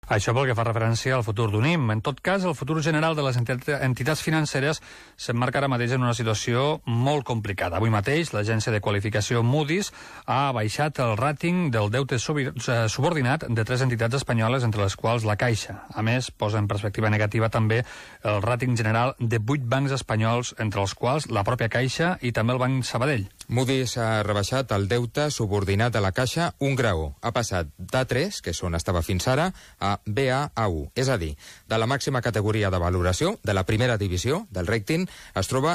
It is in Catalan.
Això pel que fa referència al futur d'UNIM. En tot cas, el futur general de les entitats financeres s'emmarca ara mateix en una situació molt complicada. Avui mateix, l'agència de qualificació Moody's ha baixat el ràting del deute subordinat de 3 entitats espanyoles, entre les quals la Caixa. A més, posa en perspectiva negativa també el ràting general de 8 bancs espanyols, entre els quals la pròpia Caixa i també el Banc Sabadell. Moody's ha rebaixat el deute subordinat a la Caixa un grau. Ha passat d'A3, que és on estava fins ara, a Baa1, és a dir, de la màxima categoria de valoració, de la primera divisió del rating, es troba